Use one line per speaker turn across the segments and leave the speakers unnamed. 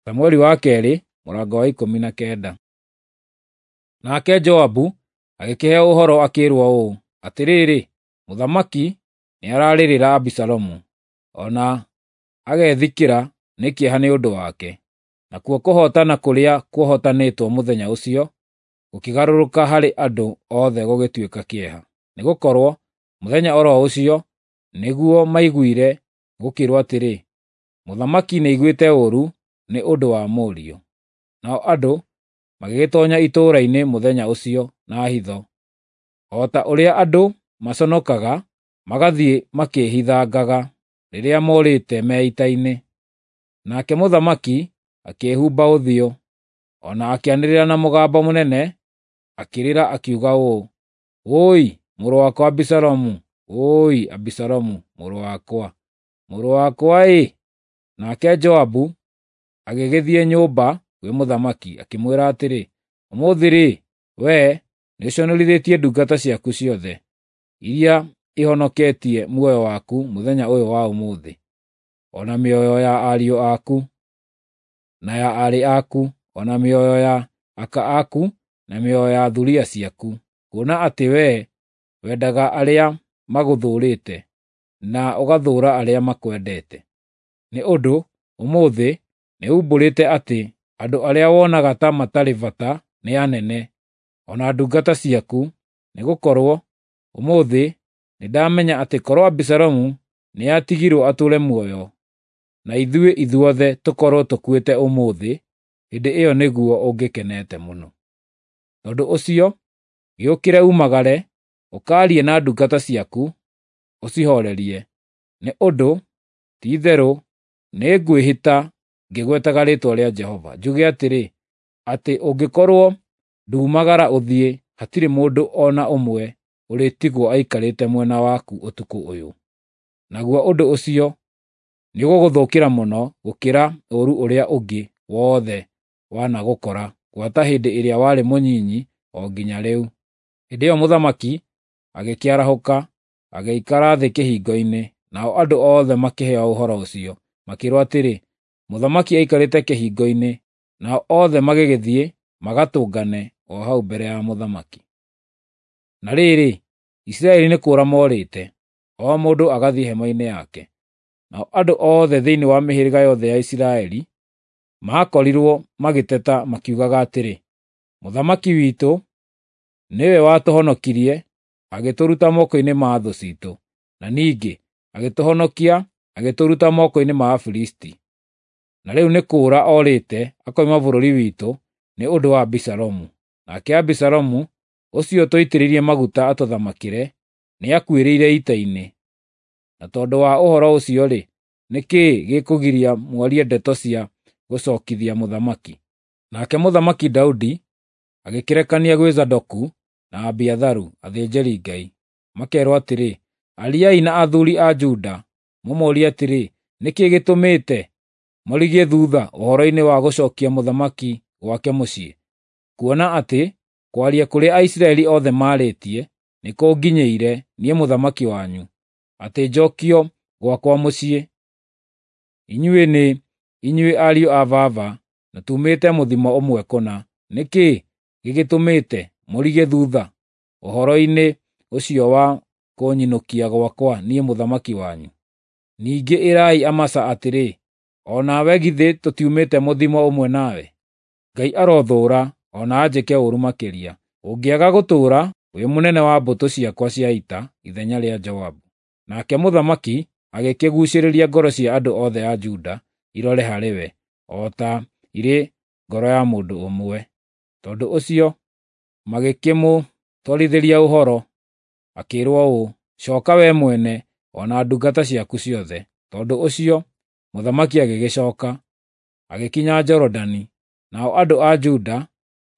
Samueli wa kerĩ mũrango wa 19. Nake Joabu agĩkĩheo ũhoro akĩĩrwo ũũ, atĩrĩrĩ, mũthamaki nĩararĩrĩra Abisalomu, o na agethikĩra nĩ kĩeha nĩ ũndũ wake. Nakuo kũhootana kũrĩa kwahootanĩtwo mũthenya ũcio gũkĩgarũrũka harĩ andũ othe gũgĩtuĩka kĩeha, nĩgũkorwo mũthenya o ro ũcio nĩguo maiguire gũkĩĩrwo atĩrĩ, mũthamaki nĩaiguĩte ũũru nĩ ũndũ wa mũriũ. Nao andũ magĩgĩtoonya itũũra-inĩ mũthenya ũcio na hitho, o ta ũrĩa andũ maconokaga magathiĩ makĩĩhithangaga rĩrĩa morĩte me ita-inĩ. Nake mũthamaki akĩĩhumba ũthiũ, o na akĩanĩrĩra na mũgambo mũnene akĩrĩra akiuga ũũ, “Wũi, mũrũ wakwa Abisalomu! Wũi, Abisalomu, mũrũ wakwa, mũrũ wakwa-ĩ!” Nake Joabu agĩgĩthiĩ nyũmba kwĩ mũthamaki, akĩmwĩra atĩrĩ, “Ũmũthĩ-rĩ, wee nĩũconorithĩtie ndungata ciaku ciothe, iria ihonoketie muoyo waku mũthenya ũyũ wa ũmũthĩ, o na mĩoyo ya ariũ aku, na ya aarĩ aku, o na mĩoyo ya aka aku, na mĩoyo ya thuriya ciaku, kuona atĩ wee wendaga arĩa magũthũũrĩte, na ũgathũũra arĩa makwendete. Nĩ ũndũ ũmũthĩ nĩumbũrĩte atĩ andũ arĩa wonaga ta matarĩ bata nĩ anene, o na ndungata ciaku, nĩgũkorwo ũmũthĩ nĩndamenya atĩ korwo Abisalomu nĩatigirwo atũũre muoyo, na ithuĩ ithuothe tũkorwo tũkuĩte ũmũthĩ, hĩndĩ ĩyo nĩguo ũngĩkenete mũno. Tondũ ũcio, gĩũkĩre umagare, ũkaarie na ndungata ciaku, ũcihoorerie, nĩ ũndũ ti-itherũ nĩngwĩhĩta ngĩgwetaga rĩĩtwa rĩa Jehova, njuge atĩrĩ, atĩ ũngĩkorwo nduumagara ũthiĩ, hatirĩ mũndũ o na ũmwe ũrĩtigwo aikarĩte mwena waku ũtukũ ũyũ. Naguo ũndũ ũcio nĩũgũgũthũkĩra mũno gũkĩra ũũru ũrĩa ũngĩ wothe wanagũkora gwata hĩndĩ ĩrĩa warĩ mũnyinyi o nginya rĩu.” Hĩndĩ ĩyo mũthamaki agĩkĩarahũka, agĩikara thĩ kĩhingo-inĩ, nao andũ othe makĩheo ũhoro ũcio, makĩĩrwo atĩrĩ, “Mũthamaki aikarĩte kĩhingo-inĩ,” nao othe magĩgĩthiĩ magatũngane o hau mbere ya mũthamaki. Na rĩrĩ, Isiraeli nĩ kũũra moorĩte, o mũndũ agathiĩ hema-inĩ yake. Nao andũ othe thĩinĩ wa mĩhĩrĩga yothe ya Isiraeli maakorirwo magĩteta makiugaga atĩrĩ, “Mũthamaki witũ nĩwe watũhonokirie agĩtũruta moko-inĩ ma thũ ciitũ, na ningĩ agĩtũhonokia agĩtũruta moko-inĩ ma Afilisti. Na rĩu nĩ kũũra orĩte akoima bũrũri witũ nĩ ũndũ wa Abisalomu. Nake Abisalomu ũcio twaitĩrĩirie maguta atũthamakĩre nĩakuĩrĩire ita-inĩ. Na tondũ wa ũhoro ũcio-rĩ, nĩ kĩĩ gĩkũgiria mwarie ndeto cia gũcookithia mũthamaki?” Nake Mũthamaki Daudi agĩkĩrekania gwĩ Zadoku na Abiatharu, athĩnjĩri-Ngai, makeerwo atĩrĩ, “Ariai na athuuri a Juda, mũmoorie atĩrĩ, ‘Nĩ kĩĩ gĩtũmĩte mũrigie thuutha ũhoro-inĩ wa gũcookia mũthamaki gwake mũciĩ, kuona atĩ kwaria kũrĩa Aisiraeli othe maarĩtie nĩkũnginyĩire niĩ mũthamaki wanyu, atĩ njookio gwakwa mũciĩ? Inyuĩ nĩ inyuĩ ariũ a baba, na tuumĩte mũthimo ũmwe kũna. Nĩ kĩĩ gĩgĩtũmĩte mũrigie thuutha ũhoro-inĩ ũcio wa kũnyinũkia gwakwa niĩ mũthamaki wanyu?’ Ningĩ ĩrai Amasa atĩrĩ, ‘O nawe githĩ tũtiumĩte mũthimo ũmwe nawe? Ngai arothũũra o na anjĩke ũũru makĩria, ũngĩaga gũtũũra wĩ mũnene wa mbũtũ ciakwa cia ita ithenya rĩa Joabu.’ ” Nake mũthamaki agĩkĩguucĩrĩria ngoro cia andũ othe a Juda irore harĩ we, o ta irĩ ngoro ya mũndũ ũmwe. Tondũ ũcio magĩkĩmũtwarithĩria ũhoro, akĩĩrwo ũũ, “Cooka wee mwene o na ndungata ciaku ciothe.” Tondũ ũcio mũthamaki agĩgĩcooka, agĩkinya Jorodani, nao andũ a Juda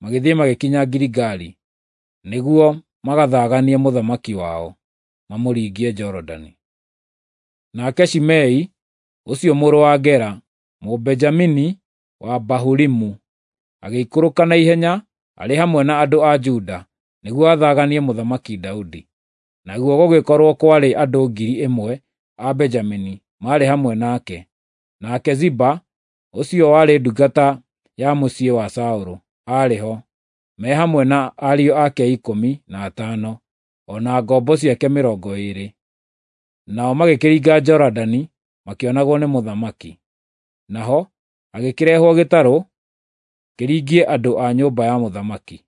magĩthiĩ magĩkinya Giligali nĩguo magathaganie mũthamaki wao, mamũringie Jorodani. Nake Shimei ũcio mũrũ wa Gera, Mũbenjamini wa Bahurimu, agĩikũrũka na ihenya arĩ hamwe na andũ a Juda nĩguo athaganie Mũthamaki Daudi. Naguo gũgĩkorwo kwarĩ andũ 1,000 a Benjamini maarĩ hamwe nake. Nake Ziba ũcio warĩ ndungata ya mũciĩ wa Saũlũ, aarĩ ho, me hamwe na ariũ ake 15, o na ngombo ciake 20. Nao magĩkĩringa Jorodani makĩonagwo nĩ mũthamaki. Naho hagĩkĩrehwo gĩtarũ kĩringie andũ a nyũmba ya mũthamaki,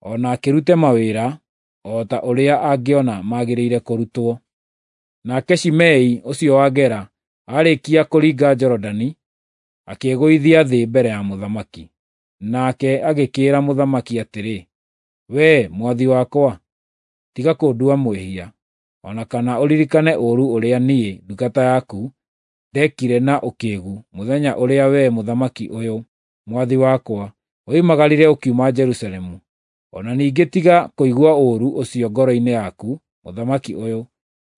o na akĩrute mawĩra o ta ũrĩa angĩona magĩrĩire kũrutwo. Nake Shimei ũcio wa Gera aarĩkia kũringa Jorodani, akĩĩgũithia thĩ mbere ya mũthamaki. Nake agĩkĩĩra mũthamaki atĩrĩ, "Wee mwathi wakwa, tiga kũndua mwĩhia, o na kana ũririkane ũũru ũrĩa niĩ ndungata yaku ndekire na ũkĩĩgu mũthenya ũrĩa wee mũthamaki ũyũ, mwathi wakwa, woimagarire ũkiuma Jerusalemu. O na ningĩ tiga kũigua ũũru ũcio ngoro-inĩ yaku, mũthamaki ũyũ,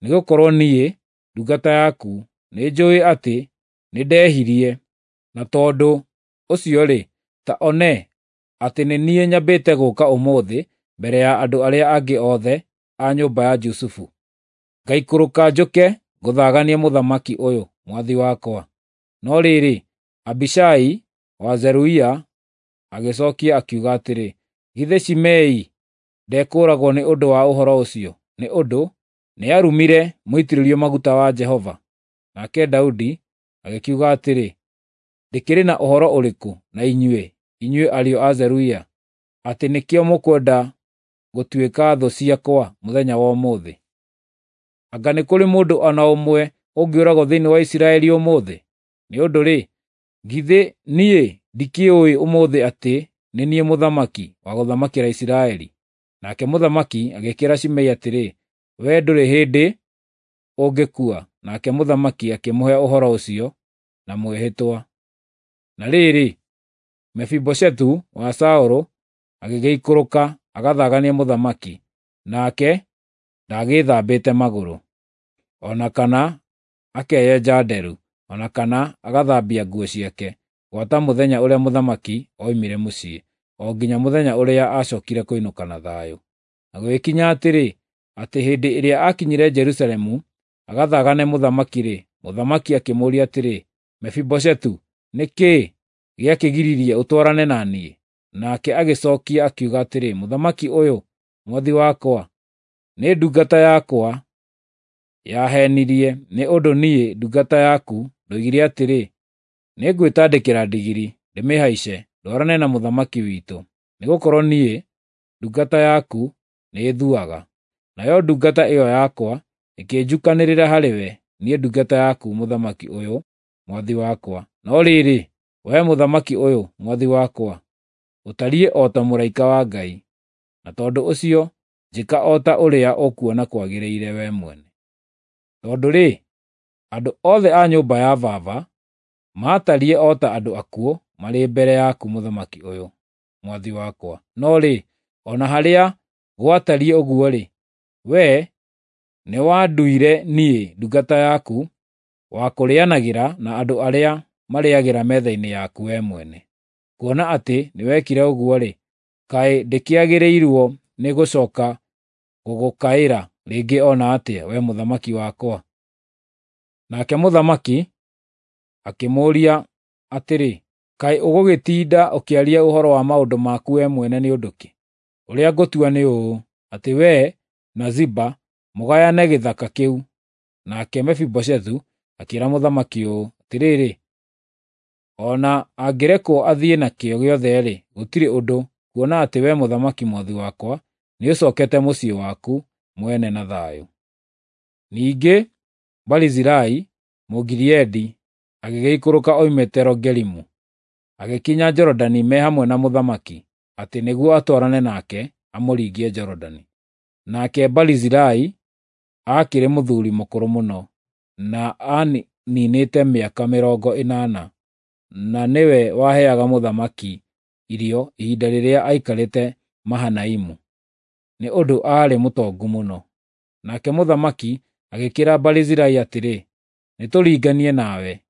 nĩgũkorwo niĩ, ndungata yaku, nĩnjũũĩ atĩ nĩndehirie, na tondũ ũcio-rĩ, ta one atĩ nĩ niĩ nyambĩte gũũka ũmũthĩ mbere ya andũ arĩa angĩ othe a nyũmba ya Jusufu. Ngaikũrũka njũke ngũthaganie mũthamaki ũyũ, mwathi wakwa." No rĩrĩ, Abishai wa Zeruia agĩcookia akiuga atĩrĩ, "Githĩ Shimei ndekũũragwo nĩ ũndũ wa ũhoro ũcio, nĩ ũndũ nĩarumire mũitĩrĩrio maguta wa Jehova?" Nake Daudi agĩkiuga atĩrĩ, "Ndĩkĩrĩ na ũhoro ũrĩkũ na inyuĩ, inyuĩ ariũ a Zeruia, atĩ nĩkĩo mũkwenda gũtuĩka thũ ciakwa mũthenya wa ũmũthĩ? Anga nĩ kũrĩ mũndũ o na ũmwe ũngĩũragwo thĩinĩ wa Isiraeli ũmũthĩ? Nĩ ũndũ-rĩ, githĩ niĩ ndikĩũĩ ũmũthĩ atĩ nĩ niĩ mũthamaki wa gũthamakĩra Isiraeli?" Nake mũthamaki agĩkĩĩra Shimei atĩrĩ, "Wee ndũrĩ hĩndĩ ũngĩkua." Nake mũthamaki akĩmũhe ũhoro ũcio na mwĩhĩtwa. Na rĩrĩ, Mefiboshethu wa Saũlũ agĩgĩikũrũka agathaganie mũthamaki, nake ndaagĩĩthambĩte magũrũ, o na kana akeyenja nderu, o na kana agathambia nguo ciake, gwata mũthenya ũrĩa mũthamaki oimire mũciĩ, o nginya mũthenya ũrĩa aacookire kũinũka na thayũ. Na gũgĩkinya atĩrĩ, atĩ hĩndĩ ĩrĩa aakinyire Jerusalemu agathagane mũthamaki-rĩ, mũthamaki akĩmũũria atĩrĩ, "Mefiboshethu, nĩ kĩĩ gĩakĩgiririe ũtwarane na niĩ?" Nake agĩcookia akiuga atĩrĩ, "Mũthamaki ũyũ, mwathi wakwa, nĩ ndungata yakwa yaheenirie, nĩ ũndũ niĩ ndungata yaku ndoigire atĩrĩ, 'Nĩngwĩtandĩkĩra ndigiri, ndĩmĩhaice, ndwarane na mũthamaki witũ, nĩgũkorwo niĩ ndungata yaku nĩĩthuaga.' Nayo ndungata ĩyo yakwa ĩkĩnjukanĩrĩra harĩwe, niĩ ndungata yaku, mũthamaki ũyũ, mwathi wakwa. No rĩrĩ, wee mũthamaki ũyũ, mwathi wakwa, ũtariĩ o ta mũraika wa Ngai, na tondũ ũcio njĩka o ta ũrĩa ũkuona kwagĩrĩire wee mwene. Tondũ-rĩ, andũ othe a nyũmba ya baba maatariĩ o ta andũ akuũ marĩ mbere yaku mũthamaki ũyũ, mwathi wakwa. No rĩ, o na harĩa gwatariĩ ũguo-rĩ, wee nĩwanduire niĩ ndungata yaku wa kũrĩanagĩra na andũ arĩa marĩĩagĩra metha-inĩ yaku wee mwene. Kuona atĩ nĩwekire ũguo-rĩ, kaĩ ndĩkĩagĩrĩirwo nĩ gũcooka gũgũkaĩra rĩngĩ o na atĩa, wee mũthamaki wakwa?" Nake mũthamaki akĩmũũria atĩrĩ, "Kaĩ ũgũgĩtinda ũkĩaria ũhoro wa maũndũ maku wee mwene nĩ ũndũ kĩ? Ũrĩa ngũtua nĩ ũũ, atĩ wee na Ziba mũgayane gĩthaka kĩu." Nake Mefiboshethu akĩĩra mũthamaki ũũ, "Atĩrĩrĩ, o na angĩrekwo athiĩ nakĩo gĩothe-rĩ, gũtirĩ ũndũ, kuona atĩ wee mũthamaki mwathi wakwa nĩũcookete mũciĩ waku mwene na thayũ." Ningĩ Barizilai Mũgileadi agĩgĩikũrũka oimĩte Rogelimu, agĩkinya Jorodani me hamwe na mũthamaki, atĩ nĩguo atwarane nake amũringie Jorodani. Nake Barizilai aakĩrĩ mũthuuri mũkũrũ mũno, na aaniinĩte mĩaka 80, na nĩwe waheaga mũthamaki irio ihinda rĩrĩa aikarĩte Mahanaimu, nĩ ũndũ aarĩ mũtongu mũno. Nake mũthamaki agĩkĩĩra Barizilai atĩrĩ, "Nĩtũringanie nawe,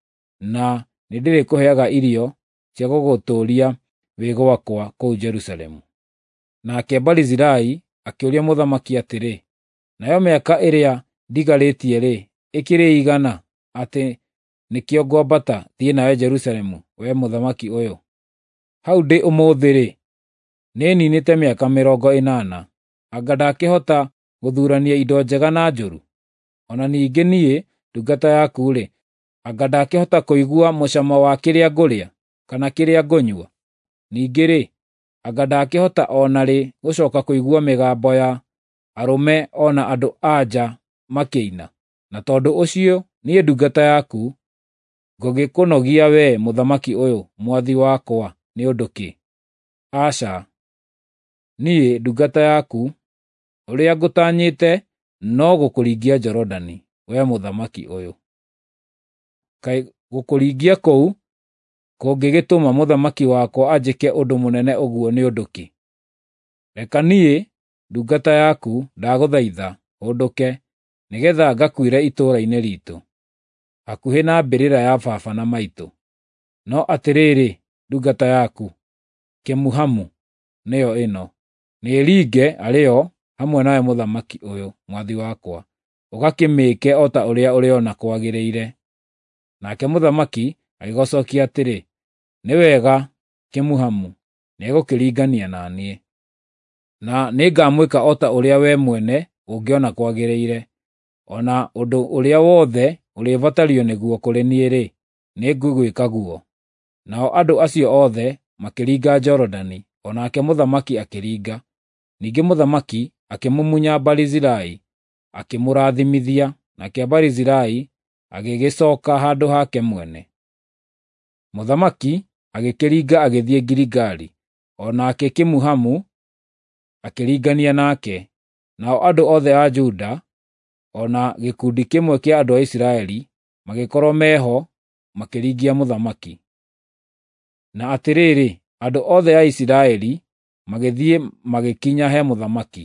na nĩndĩrĩkũheaga irio cia gũgũtũũria wĩ gwakwa kũu Jerusalemu." Nake Barizilai akĩũria mũthamaki atĩrĩ, "Nayo mĩaka ĩrĩa ndigarĩtie-rĩ, ĩkĩrĩ ĩigana, atĩ nĩkĩo ngwambata thiĩ nawe Jerusalemu, wee mũthamaki ũyũ? Hau ndĩ ũmũthĩ-rĩ, nĩninĩte mĩaka 80. Anga ndakĩhota gũthurania indo njega na njũru? O na ningĩ niĩ, ndungata yaku-rĩ, anga ndakĩhota kũigua mũcamo wa kĩrĩa ngũrĩa, kana kĩrĩa ngũnyua? Ningĩ-rĩ, anga ndakĩhota o na rĩ gũcoka kũigua mĩgambo ya arũme o na andũ-a-nja makĩina? Na tondũ ũcio niĩ ndungata yaku, ngũgĩkũnogia wee mũthamaki ũyũ, mwathi wakwa, nĩ ũndũ kĩ? Aca, niĩ ndungata yaku, ũrĩa ngũtanyĩte no gũkũringia Jorodani, wee mũthamaki ũyũ. Kaĩ gũkũringia kũu kũngĩgĩtũma mũthamaki wakwa anjĩke ũndũ mũnene ũguo nĩ ũndũ kĩ? Reka niĩ ndungata yaku ndagũthaitha hũndũke, nĩgeetha ngakuĩre itũũra-inĩ riitũ, hakuhĩ na mbĩrĩra ya baba na maitũ. No atĩrĩrĩ, ndungata yaku, Kimuhamu nĩyo ĩno, nĩĩringe arĩ yo hamwe nawe mũthamaki ũyũ, mwathi wakwa, ũgakĩmĩĩke o ta ũrĩa ũrĩona kwagĩrĩire. Nake mũthamaki agĩgũcookia atĩrĩ, “Nĩ wega, Kimuhamu nĩegũkĩringania na niĩ, na nĩngamwĩka o ta ũrĩa wee mwene ũngĩona kwagĩrĩire. O na ũndũ ũrĩa wothe ũrĩbatario nĩguo kũrĩ niĩ-rĩ, nĩngũgwĩka guo.” Nao andũ acio othe makĩringa Jorodani, o nake mũthamaki akĩringa. Ningĩ mũthamaki akĩmumunya Barizilai, akĩmũrathimithia, nake Barizilai agĩgĩcooka handũ hake mwene. Mũthamaki agĩkĩringa agĩthiĩ Giligali, o nake Kimuhamu akĩringania nake. Nao andũ othe a Juda, o na gĩkundi kĩmwe kĩa andũ a Isiraeli, magĩkorwo meho makĩringia mũthamaki. Na atĩrĩrĩ, andũ othe a Isiraeli magĩthiĩ magĩkinya he mũthamaki,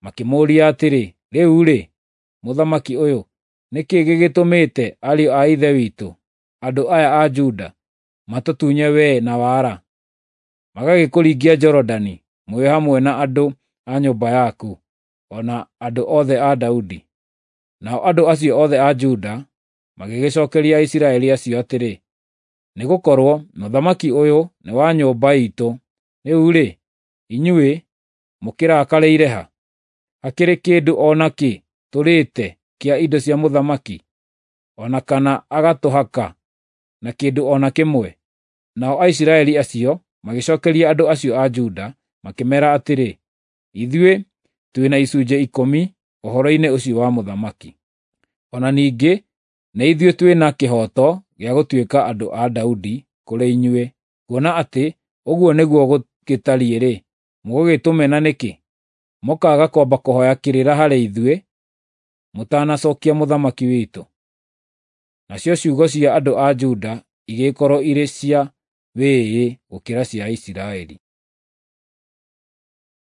makĩmũũria atĩrĩ, “Rĩu-rĩ, mũthamaki ũyũ, nĩ kĩĩ gĩgĩtũmĩte ariũ a ithe witũ, andũ aya a Juda, matũtunye wee na wara, magagĩkũringia Jorodani mwĩ hamwe na andũ a nyũmba yaku, o na andũ othe a Daudi?” Nao andũ acio othe a Juda magĩgĩcookeria Aisiraeli acio atĩrĩ, “Nĩgũkorwo mũthamaki ũyũ nĩ wa nyũmba iitũ, rĩu-rĩ, inyuĩ mũkĩrakarĩire ha? Hakĩrĩ kĩndũ o nakĩ tũrĩĩte kĩa indo cia mũthamaki, o na kana agatũhaka na kĩndũ o na kĩmwe?” Nao Aisiraeli acio magĩcookeria andũ acio a Juda makĩmeera atĩrĩ, “Ithuĩ twĩ na icunjĩ 10 ũhoro-inĩ ũcio wa mũthamaki. O na ningĩ nĩ ithuĩ twĩ na kĩhooto gĩa gũtuĩka andũ a Daudi kũrĩ inyuĩ, kuona atĩ ũguo nĩguo gũgĩtariĩ-rĩ, mũgũgĩtũmena nĩkĩ, mũkaaga kwamba kũhooya kĩrĩra harĩ ithuĩ mũtanacookia mũthamaki witũ?” Nacio ciugo cia andũ a Juda igĩkorwo irĩ cia wĩĩĩ gũkĩra cia Isiraeli.